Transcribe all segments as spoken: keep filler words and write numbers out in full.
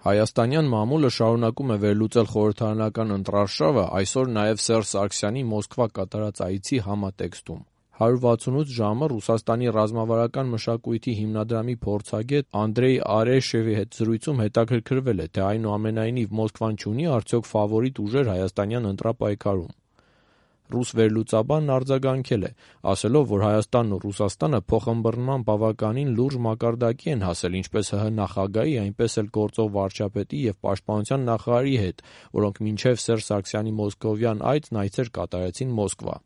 Հայաստանյան մամուլը շարունակում է վերլուծել խորհրդարանական ընտրարշավը այսօր նաև Սերժ Սարգսյանի Մոսկվա կատարած այցի համատեքստում։ հարյուր վաթսունութ ժամը Ռուսաստանի ռազմավարական մշակույթի հիմնադրամի փորձագետ Անդրեյ Արեշևի հետ զրույցում հետաքրքրվել է, թե այնուամենայնիվ Մոսկվան չունի արդյոք ֆավորիտ ուժեր հայաստանյան ընտրապայքարում։ Ռուս վերլուծաբանն արձագանքել է, ասելով, որ Հայաստանն ու Ռուսաստանը փոխըմբռնման բավականին լուրջ մակարդակի են հասել ինչպես ՀՀ նախագահի, այնպես էլ գործող վարչապետի և պաշտպանության նախարարի հետ, որոնք մինչև Սերժ Սարգսյանի մոսկովյան այցն այցեր կատարեցին Մոսկվա։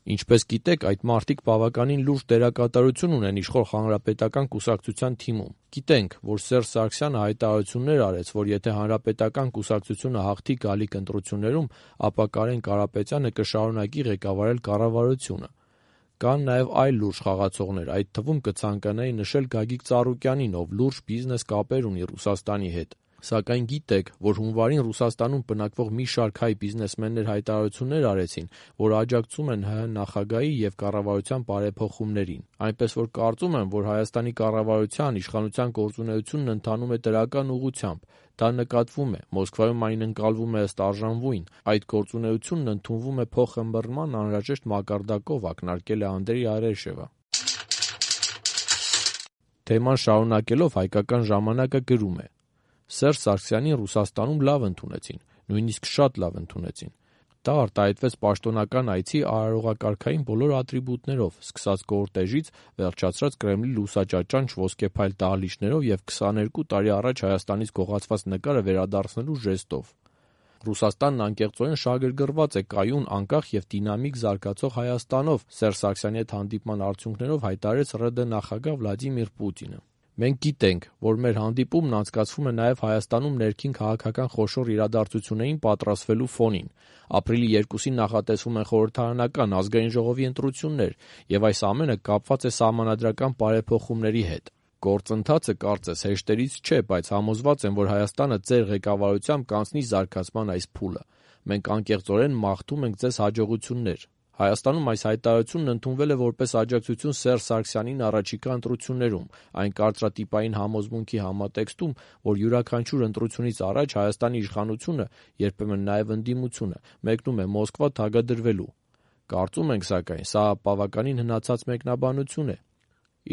Ինչպես գիտեք, այդ մարդիկ բավականին լուրջ դերակատարություն ունեն իշխող Հանրապետական կուսակցության թիմում։ Գիտենք, որ Սերժ Սարգսյանը հայտարարություններ արեց, որ եթե Հանրապետական կուսակցությունը հաղթի գալիք ընտրություններում, ապա Կարեն Կարապետյանը կշարունակի ղեկավարել կառավարությունը։ Կան նաև այլ լուրջ խաղացողներ, այդ թվում կցանկանայի նշել Գագիկ Ծառուկյանին, ով լուրջ բիզնես կապեր ունի Ռուսաստանի հետ։ Սակայն գիտեք, որ հունվարին Ռուսաստանում բնակվող մի շարք հայ բիզնեսմեններ հայտարարություններ արեցին, որ աջակցում են ՀՀ նախագահի և կառավարության բարեփոխումներին, այնպես որ կարծում եմ, որ Հայաստանի կառավարության իշխանության գործունեությունն ընթանում է դրական ուղղությամբ, դա նկատվում է, Մոսկվայում այն ընկալվում է ըստ արժանվույն, այդ գործունեությունն ընդունվում է փոխըմբռնման անհրաժեշտ մակարդակով, ակնարկել է Անդրեյ Արեշևը։ Թեման շարունակելով Հայկական ժամանակը գրում է. Սերժ Սարգսյանին Ռուսաստանում լավ ընդունեցին, նույնիսկ շատ լավ ընդունեցին։ Դա արտահայտվեց պաշտոնական այցի արարողակարգային բոլոր ատրիբուտներով, սկսած կորտեժից, վերջացրած Կրեմլի լուսաճաճանչ ոսկեփայլ դահլիճներով և քսաներկու տարի առաջ Հայաստանից գողացված նկարը վերադարձնելու ժեստով։ Ռուսաստանն անկեղծորեն շահագրգռված է կայուն, անկախ և դինամիկ զարգացող Հայաստանով, Սերժ Սարգսյանի հետ հանդիպման արդյունքներով հայտարարեց ՌԴ նախագահ Վլադիմիր Պուտինը։ Մենք գիտենք, որ մեր հանդիպումն անցկացվում է նաև Հայաստանում ներքին քաղաքական խոշոր իրադարձություններին պատրաստվելու ֆոնին։ Ապրիլի երկուսին նախատեսվում են խորհրդարանական ազգային ժողովի ընտրություններ, և այս ամենը կապված է սահմանադրական բարեփոխումների հետ։ Գործընթացը կարծես հեշտերից չէ, բայց համոզված եմ, որ Հայաստանը ձեր ղեկավարությամբ կանցնի զարգացման այս փուլը։ Մենք անկեղծորեն մաղթում ենք ձեզ հաջողություններ։ Հայաստանում այս հայտարարությունն ընդունվել է որպես աջակցություն Սերժ Սարգսյանին առաջիկա ընտրություններում, այն կարծրատիպային համոզմունքի համատեքստում, որ յուրաքանչյուր ընտրությունից առաջ Հայաստանի իշխանությունը, երբեմն նաև ընդդիմությունը, մեկնում է Մոսկվա թագադրվելու։ Կարծում ենք, սակայն, սա բավականին հնացած մեկնաբանություն է։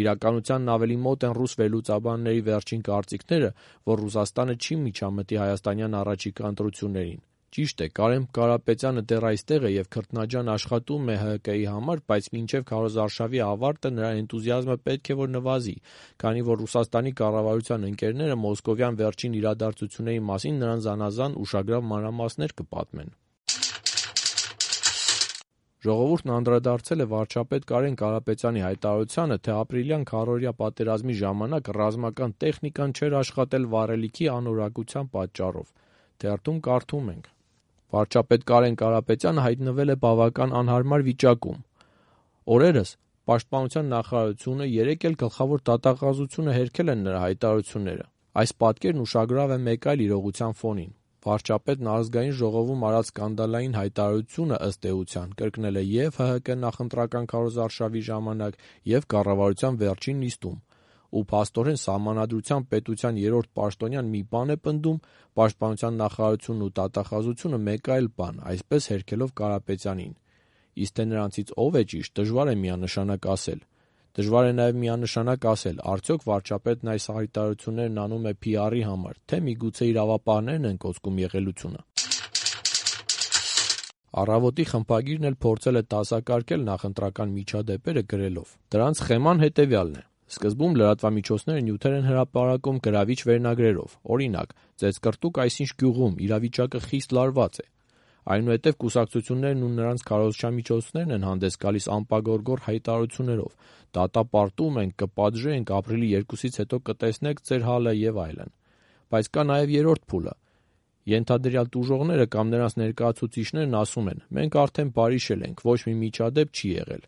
Իրականությանն ավելի մոտ են ռուս վերլուծաբանների վերջին կարծիքները, որ Ռուսաստանը չի միջամտի հայաստանյան առաջիկա ընտրություններին։ Ճիշտ է, Կարեն Կարապետյանը դեռ այստեղ է և քրտնաջան աշխատում է ՀՀԿ-ի համար, բայց մինչև քարոզարշավի ավարտը նրա էնտուզիազմը պետք է որ նվազի, քանի որ Ռուսաստանի կառավարության ընկերները մոսկովյան վերջին իրադարձությունների մասին նրան զանազան ուշագրավ մանրամասներ կպատմեն։ Ժողովուրդն անդրադարձել է վարչապետ Կարեն Կարապետյանի հայտարարությանը, թե ապրիլյան քառօրյա պատերազմի ժամանակ ռազմական տեխնիկան չէր աշխատել վառելիքի անորակության պատճառով։ Թերթում կարդում ենք. Վարչապետ Կարեն Կարապետյանը հայտնվել է բավական անհարմար վիճակում։ Օրերս Պաշտպանության նախարարությունը երեկ էլ գլխավոր դատախազությունը հերքել են նրա հայտարարությունները։ Այս պատկերն ուշագրավ է մեկ այլ իրողության ֆոնին։ Վարչապետն ազգային ժողովում արած սկանդալային հայտարարությունը ըստ էության կրկնել է և ՀՀԿ նախընտրական քարոզարշավի ժամանակ, և կառավարության վերջին նիստում։ Ու փաստորեն Սահմանադրությամբ պետության երրորդ պաշտոնյան մի բան է պնդում, Պաշտպանության նախարարությունն ու դատախազությունը մեկ այլ բան, այսպես հերքելով Կարապետյանին։ Իսկ թե նրանցից ով է ճիշտ, դժվար է միանշանակ ասել։ Դժվար է նաև միանշանակ ասել, արդյոք վարչապետն այս հայտարարություններն անում է Փի Արի համար, թե միգուցե իրավապահներն են կոծկում եղելությունը։ Առավոտի խմբագիրն էլ փորձել է դասակարգել նախընտրական միջադեպերը գրելով. Դրանց սխեման հետևյալն է. Սկզբում լրատվամիջոցները նյութեր են հրապարակում գրավիչ վերնագրերով, օրինակ՝ Ծեծկռտուք այսինչ գյուղում, իրավիճակը խիստ լարված է։ Այնուհետև կուսակցություններն ու նրանց քարոզչամիջոցներն են հանդես գալիս անպագորգոր հայտարարություններով. դատապարտում ենք, կպատժենք, ապրիլի երկուսից հետո կտեսնեք ձեր հալը և այլն։ Բայց կա նաև երրորդ փուլը։ Ենթադրյալ տուժողները կամ նրանց ներկայացուցիչներն ասում են. մենք արդեն բարիշել ենք, ոչ մի միջադեպ չի եղել։